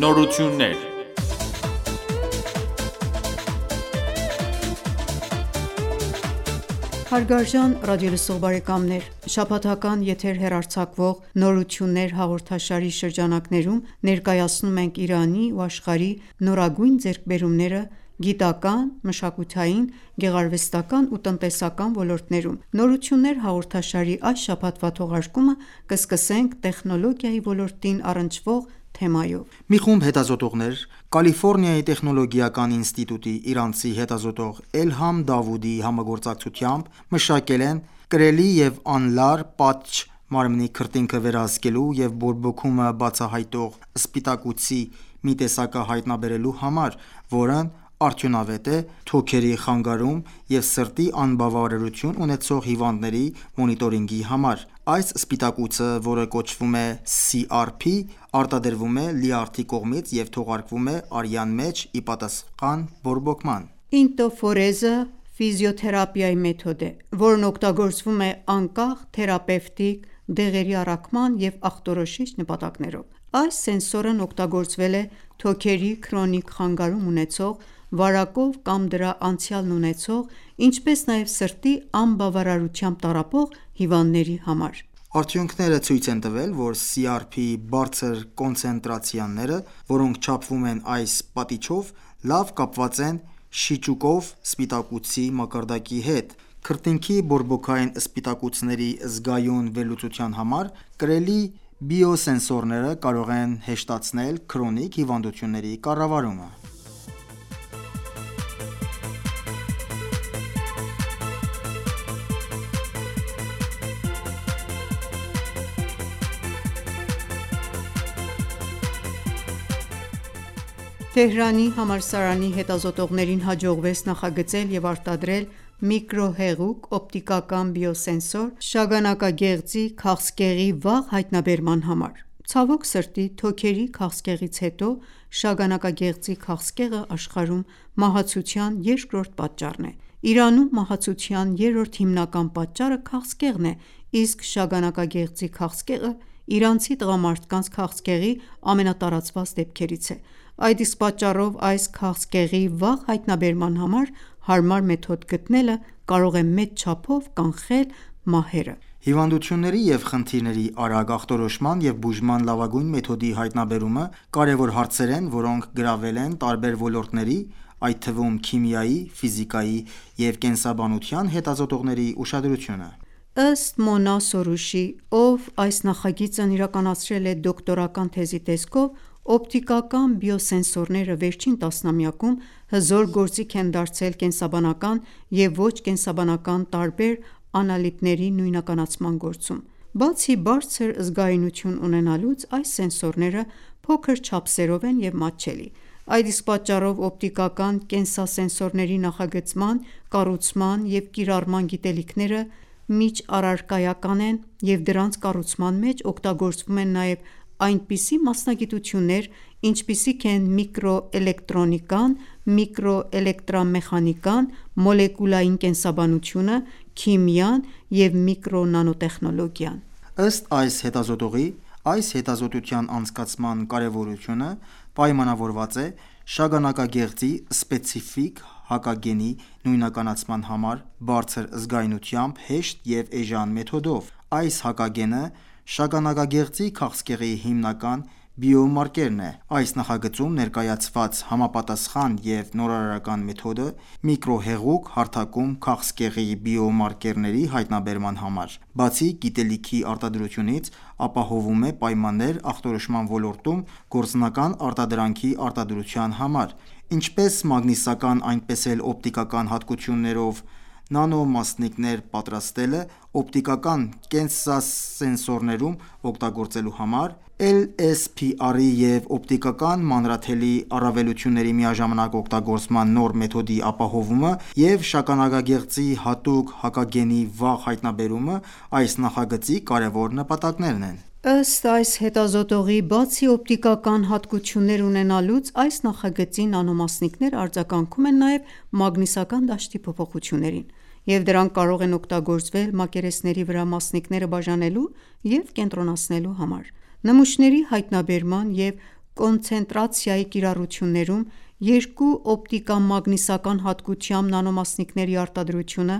Նորություններ Հարգարժան ռադիոլսող բարեկամներ, շաբաթական եթեր հեռարձակվող «Նորություններ» հաղորդաշարի շրջանակներում ներկայացնում ենք Իրանի ու աշխարհի նորագույն ձեռքբերումները գիտական, մշակութային, գեղարվեստական ու տնտեսական ոլորտներում։ «Նորություններ» հաղորդաշարի այս շաբաթվա թողարկումը կսկսենք տեխնոլոգիայի ոլորտին առնչվող թեմայով։ Մի խումբ հետազոտողներ Կալիֆորնիայի տեխնոլոգիական ինստիտուտի իրանցի հետազոտող Էլհամ Դավուդի համագործակցությամբ մշակել են կրելի և անլար պատչ մարմնի քրտինքը վերահսկելու և բորբոքումը բացահայտող սպիտակուցի մի տեսակը հայտնաբերելու համար, որն արդյունավետ է թոքերի խանգարում և սրտի անբավարարություն ունեցող հիվանդների մոնիտորինգի համար։ Այս սպիտակուցը, որը կոչվում է CRP, արտադրվում է լյարդի կողմից և թողարկվում է արյան մեջ ի պատասխան բորբոքման։ Ինտոֆորեզը ֆիզիոթերապիայի մեթոդ է, որն օգտագործվում է անկախ թերապևտիկ, դեղերի առաքման և աղտոտիչ նպատակներով։ Այս սենսորն օգտագործվել է թոքերի քրոնիկ խանգարում ունեցող, վարակով կամ դրա անցյալն ունեցող, ինչպես նաև սրտի անբավարարությամբ տառապող հիվանդների համար։ Արդյունքները ցույց են տվել, որ CRP բարձր կոնցենտրացիաները, որոնք չափվում են այս պատիչով, լավ կապված են շիճուկով սպիտակուցի մակարդակի հետ։ Քրտինքի բորբոքային սպիտակուցների զգայուն վերլուծության համար կրելի բիոսենսորները կարող են հեշտացնել քրոնիկ հիվանդությունների կառավարումը։ Թեհրանի համալսարանի հետազոտողներին հաջողվեց նախագծել և արտադրել միկրոհեղուկ օպտիկական բիոսենսոր շագանակագեղձի քաղցկեղի վաղ հայտնաբերման համար։ Ցավոք սրտի, թոքերի քաղցկեղից հետո շագանակագեղձի քաղցկեղը աշխարհում մահացության երկրորդ պատճառն է։ Իրանում մահացության երրորդ հիմնական պատճառը քաղցկեղն է, իսկ շագանակագեղձի քաղցկեղը իրանցի տղամարդկանց քաղցկեղի ամենատարածված դեպքերից է։ Այդ իսկ պատճառով այս քաղցկեղի վաղ հայտնաբերման համար հարմար մեթոդ գտնելը կարող է մեծ չափով կանխել մահերը։ Հիվանդությունների և խնդիրների արագ ախտորոշման և բուժման լավագույն մեթոդի հայտնաբերումը կարևոր հարցեր են, որոնք գրավել են տարբեր ոլորտների, այդ թվում քիմիայի, ֆիզիկայի և կենսաբանության հետազոտողների ուշադրությունը։ Ըստ Մոնա Սորուշի, ով այս նախագիծն իրականացրել է դոկտորական թեզի տեսքով, օպտիկական բիոսենսորները վերջին տասնամյակում հզոր գործիք են դարձել կենսաբանական և ոչ կենսաբանական տարբեր անալիզների նույնականացման գործում։ Բացի բարձր զգայունություն ունենալուց, այս սենսորները փոքր չափսերով են և մատչելի։ Այդ իսկ պատճառով օպտիկական կենսասենսորների նախագծման, կառուցման և կիրառման գիտելիքները միջառարկայական են, և դրանց կառուցման մեջ օգտագործվում են նաև այնպիսի մասնագիտություններ, ինչպիսիք են միկրոէլեկտրոնիկան, միկրոէլեկտրամեխանիկան, մոլեկուլային կենսաբանությունը, քիմիան և միկրոնանոտեխնոլոգիան։ Ըստ այս հետազոտողի, այս հետազոտության անցկացման կարևորությունը պայմանավորված է շագանակագեղձի սպეციფიկ հակագենի նույնականացման համար բարձր զգայունությամբ հեշտ և էժան մեթոդով։ Այս հակագենը շագանակագեղձի քաղցկեղի հիմնական բիոմարկերն է։ Այս նախագծում ներկայացված համապատասխան և նորարարական մեթոդը միկրոհեղուկ հարթակում քաղցկեղի բիոմարկերների հայտնաբերման համար, բացի գիտելիքի արտադրությունից, ապահովում է պայմաններ ախտորոշման ոլորտում գործնական արտադրանքի արտադրության համար, ինչպես մագնիսական, այնպես էլ օպտիկական հատկություններով նանոմասնիկներ պատրաստելը օպտիկական կենսասենսորներում օգտագործելու համար, LSPR-ի և օպտիկական մանրաթելի առավելությունների միաժամանակ օգտագործման նոր մեթոդի ապահովումը և շագանակագեղձի հատուկ հակագենի վաղ հայտնաբերումը այս նախագծի կարևոր նպատակներն են։ Ըստ այս հետազոտողի, բացի օպտիկական հատկություններ ունենալուց, այս նախագծի նանոմասնիկները արձագանքում են նաև մագնիսական դաշտի փոփոխություններին, և դրանք կարող են օգտագործվել մակերեսների վրա մասնիկները բաժանելու և կենտրոնացնելու համար։ Նմուշների հայտնաբերման և կոնցենտրացիայի կիրառություններում երկու օպտիկամագնիսական հատկությամբ նանոմասնիկների արտադրությունը,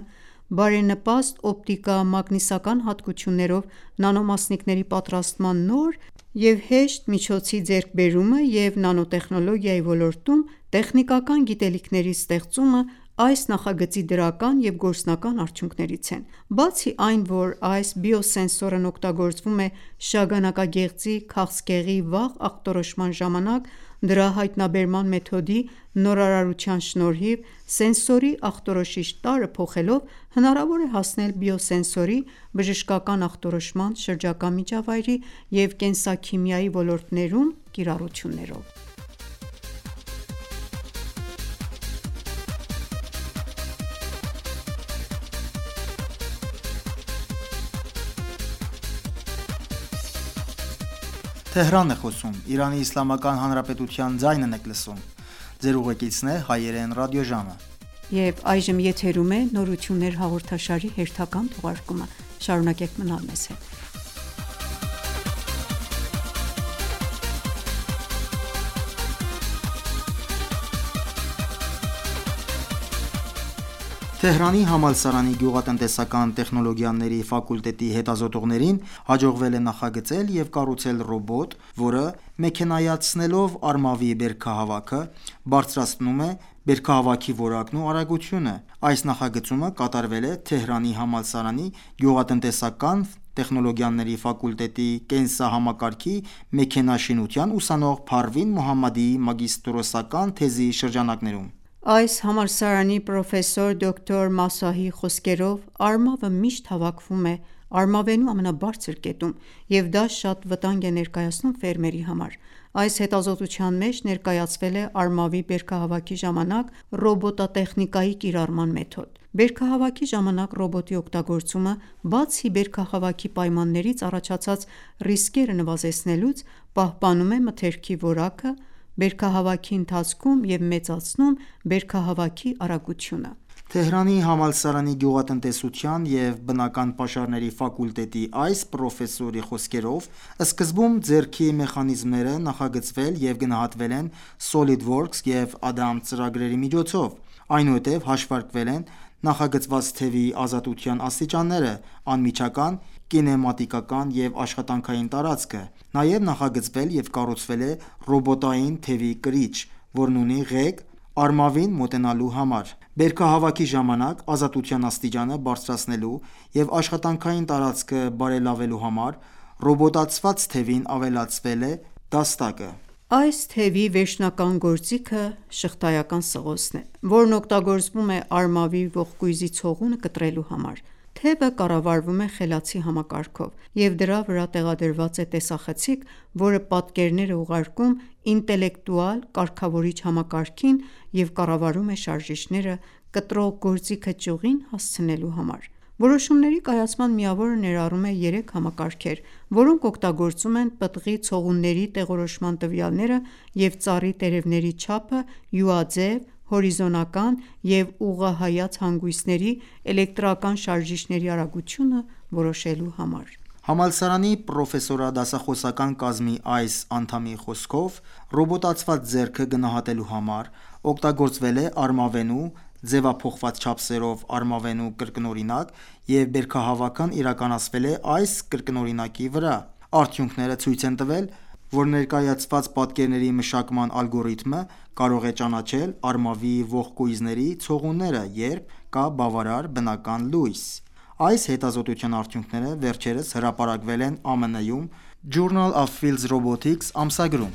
բարենպաստ օպտիկամագնիսական հատկություններով նանոմասնիկների պատրաստման նոր և հեշտ միջոցի ձեռքբերումը և նանոտեխնոլոգիայի ոլորտում տեխնիկական գիտելիքների ստեղծումը այս նախագծի դրական և գործնական արդյունքներից են: Բացի այն, որ այս բիոսենսորն օգտագործվում է շագանակագեղձի քաղցկեղի վաղ ախտորոշման ժամանակ, դրա հայտնաբերման մեթոդի նորարարության շնորհիվ, սենսորի ախտորոշիչ տարրը փոխելով, հնարավոր է հասնել բիոսենսորի, բժշկական ախտորոշման, շրջակա միջավայրի և կենսաքիմիայի ոլորտներում կիրառություններով: Թեհրանի համալսարանի գյուղատնտեսական տեխնոլոգիաների ֆակուլտետի հետազոտողներին հաջողվել է նախագծել և կառուցել ռոբոտ, որը մեքենայացնելով արմավի բերքահավաքը, բարձրացնում է բերքահավաքի որակն ու արագությունը: Այս նախագծումը կատարվել է Թեհրանի համալսարանի գյուղատնտեսական տեխնոլոգիաների ֆակուլտետի կենսահամակարգի մեքենաշինության ուսանող Փարվին Մոհամմադիի մագիստրոսական թեզի շրջանակներում: Այս համալսարանի պրոֆեսոր դոկտոր Մասահի խոսքերով, արմավը միշտ հավաքվում է արմավենու ամենաբարձր կետում, և դա շատ վտանգ է ներկայացնում ֆերմերի համար: Այս հետազոտության մեջ ներկայացվել է արմավի բերքահավաքի ժամանակ ռոբոտատեխնիկայի կիրառման մեթոդ: Բերքահավաքի ժամանակ ռոբոտի օգտագործումը, բացի բերքահավաքի պայմաններից առաջացած ռիսկերը նվազեցնելուց, պահպանում է մթերքի որակը բերքահավաքի ընթացքում և մեծացնում բերքահավաքի արագությունը: Թեհրանի համալսարանի գյուղատնտեսության և բնական պաշարների ֆակուլտետի այս պրոֆեսորի խոսքերով, սկզբում ձեռքի մեխանիզմները նախագծվել և գնահատվել են SolidWorks և Adam ծրագրերի միջոցով: Այնուհետև հաշվարկվել են նախագծված թևի ազատության աստիճանները, անմիջական, կինեմատիկական և աշխատանքային տարածքը: Նաև նախագծվել և կառուցվել է ռոբոտային թևի կրիչ, որն ունի ղեկ արմավին մոտենալու համար: Բերքահավաքի ժամանակ ազատության աստիճանը բարձրացնելու և աշխատանքային տարածքը բարելավելու համար ռոբոտացված թևին ավելացվել է դաստակը: Այս թևի վերջնական գործիքը շղթայական սղոցն է, որն օգտագործվում է արմավի ողկույզի ցողունը կտրելու համար: Թևը կառավարվում է խելացի համակարգով և դրա վրա տեղադրված է տեսախցիկ, որը պատկերներ է ուղարկում ինտելեկտուալ կարգավորիչ համակարգին և կառավարում է շարժիչները կտրող գործիքը ճյուղին հասցնելու համար: Որոշումների կայացման միավորը ներառում է 3 համակարգեր, որոնք օգտագործում են պտղի ցողունների տեղորոշման տվյալները և ծառի տերևների չափը յուաձև, հորիզոնական և ուղղահայաց հանգույցների էլեկտրական շարժիչների արագությունը որոշելու համար: Համալսարանի պրոֆեսորադասախոսական կազմի այս անդամի խոսքով, ռոբոտացված ձեռքը գնահատելու համար օգտագործվել է արմավենու ձևափոխված չափսերով արմավենու կրկնօրինակ և բերքահավաքն իրականացվել է այս կրկնօրինակի վրա: Արդյունքները ցույց են տվել, որ ներկայացված պատկերների մշակման ալգորիթմը կարող է ճանաչել արմավի ողկույզների ցողունները, երբ կա բավարար բնական լույս: Այս հետազոտության արդյունքները վերջերս հրապարակվել են ԱՄՆ-ում Journal of Field Robotics ամսագրում: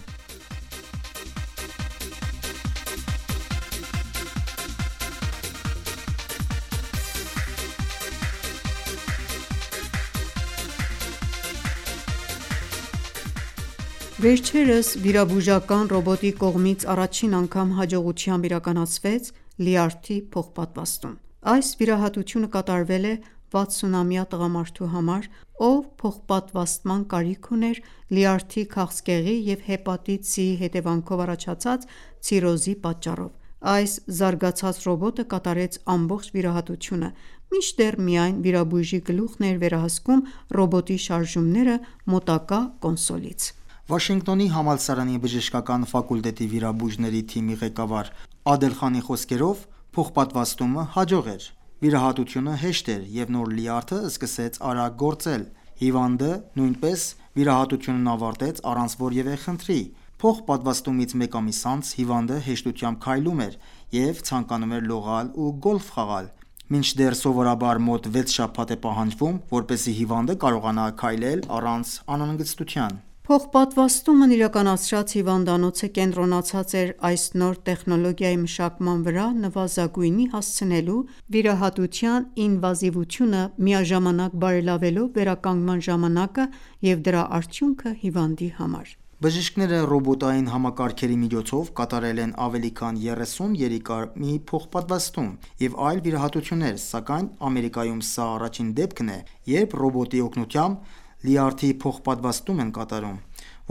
Վերջերս վիրաբուժական ռոբոտի կողմից առաջին անգամ հաջողությամբ իրականացվեց լյարդի փոխպատվաստում: Այս վիրահատությունը կատարվել է 60-ամյա տղամարդու համար, ով փոխպատվաստման կարիք ուներ լյարդի քաղցկեղի և հեպատիտ C-ի հետևանքով առաջացած ցիրոզի պատճառով: Այս զարգացած ռոբոտը կատարեց ամբողջ վիրահատությունը, մինչդեռ միայն վիրաբույժի գլուխն էր վերահսկում ռոբոտի շարժումները մոտակա կոնսոլից: Վաշինգտոնի համալսարանի բժշկական ֆակուլտետի վիրաբույժների թիմի ղեկավար Ադելխանի խոսքերով, փոխպատվաստումը հաջող էր։ Վիրահատությունը հեշտ էր և նոր լյարդը սկսեց արագ գործել։ Հիվանդը նույնպես վիրահատությունն ավարտեց առանց որևէ խնդրի։ Փոխպատվաստումից մեկ ամիս անց հիվանդը հեշտությամբ քայլում էր և ցանկանում էր լողալ ու գոլֆ խաղալ, մինչդեռ սովորաբար մոտ 6 շաբաթ է պահանջվում, որպեսզի հիվանդը կարողանա քայլել առանց անհանգստության։ Փոխպատվաստումն իրականացրած հիվանդանոցը կենտրոնացած էր այս նոր տեխնոլոգիայի մշակման վրա՝ նվազագույնի հասցնելու վիրահատության ինվազիվությունը, միաժամանակ բարելավելով վերականգնման ժամանակը և դրա արդյունքը հիվանդի համար։ Բժիշկները ռոբոտային համակարգերի միջոցով կատարել են ավելի քան 30 երիկամի փոխպատվաստում և այլ վիրահատություններ, սակայն Ամերիկայում սա առաջին դեպքն է, երբ ռոբոտի օգնությամբ լյարդի փոխպատվաստում են կատարում։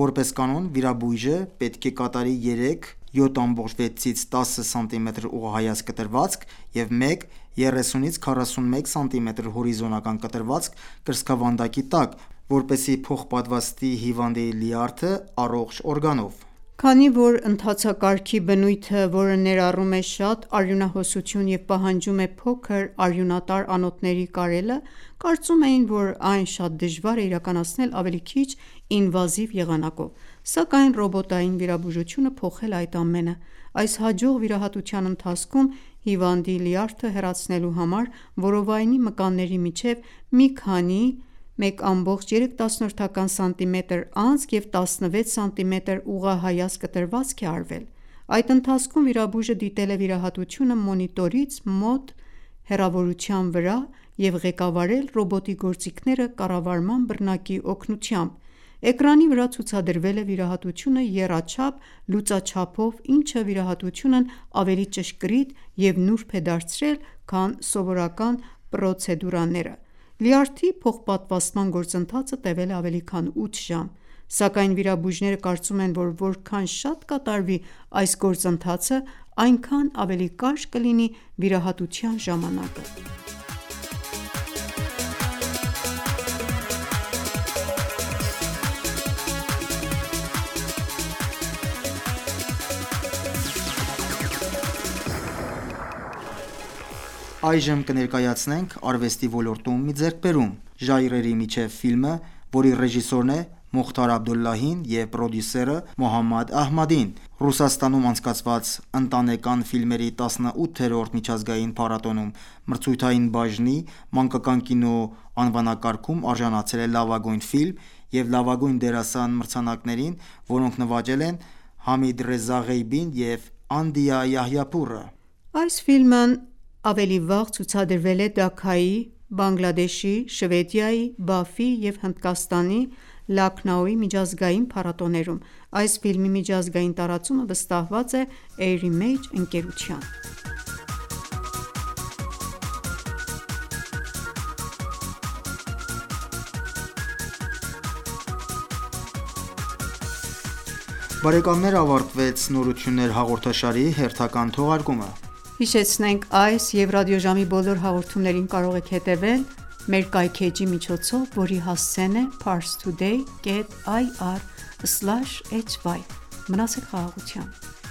Որպես կանոն, վիրաբույժը պետք է կատարի 3 7,6-ից 10 սմ ուղղահայաց կտրվածք և 1 30-ից 41 սմ հորիզոնական կտրվածք կրծքավանդակի տակ, որպեսզի փոխպատվաստի հիվանդի լյարդը առողջ օրգանով։ Քանի որ ընթացակարգի բնույթը, որը ներառում է շատ արյունահոսություն և պահանջում է փոքր արյունատար անոթների կարելը, կարծում էին, որ այն շատ դժվար է իրականացնել ավելի քիչ ինվազիվ եղանակով, սակայն ռոբոտային վիրաբուժությունը փոխել է այդ ամենը։ Այս հաջող վիրահատության ընթացքում հիվանդի լյարդը հեռացնելու համար որովայնի մկանների միջև մի քանի 1,3 սմ անցք և 16 սմ ուղղահայաց կտրվածք է արվել։ Այդ ընթացքում վիրաբույժը դիտել է վիրահատությունը մոնիտորից մոտ հեռավորության վրա և ղեկավարել ռոբոտի գործիքները կառավարման բռնակի օգնությամբ։ Էկրանի վրա ցուցադրվել է վիրահատությունը եռաչափ լուծաչափով, ինչը վիրահատությունն ավելի ճշգրիտ և նուրբ է դարձրել, քան սովորական պրոցեդուրաները։ Լյարդի փոխպատվաստման գործընթացը տևել է ավելի քան 8 ժամ, սակայն վիրաբույժները կարծում են, որ որքան շատ կատարվի այս գործընթացը, այնքան ավելի կարճ կլինի վիրահատության ժամանակը։ Այժմ կներկայացնենք արվեստի ոլորտում մի ձեռքբերում՝ «Ժայռերի միջև» ֆիլմը, որի ռեժիսորն է Մոխթար Աբդոլլահին և պրոդյուսերը Մոհամմադ Ահմադին։ Ռուսաստանում անցկացված ընտանեկան ֆիլմերի 18-րդ միջազգային փառատոնում մրցույթային բաժնի մանկական կինո անվանակարգում արժանացել է լավագույն ֆիլմ և լավագույն դերասան մրցանակներին, որոնք նվաճել են Համիդ Ռեզա Ղեյբին և Անդիա Յահյապուրը։ Այս ֆիլմն ավելի վաղ ցուցադրվել է Դաքայի, Բանգլադեշի, Շվեդիայի, Բաֆի և Հնդկաստանի Լաքնաուի միջազգային փառատոներում։ Այս ֆիլմի միջազգային տարածումը վստահված է Eir-Image ընկերության։ Բարեկամներ, ավարտվեց «Նորություններ» հաղորդաշարի հերթական թողարկումը։ Հիշեցնենք այս և ռադիոժամի բոլոր հաղորդումներին կարող եք հետևել մեր կայքէջի միջոցով, որի հասցեն է parstoday.ir/hy: Մնացեք խաղաղությամբ։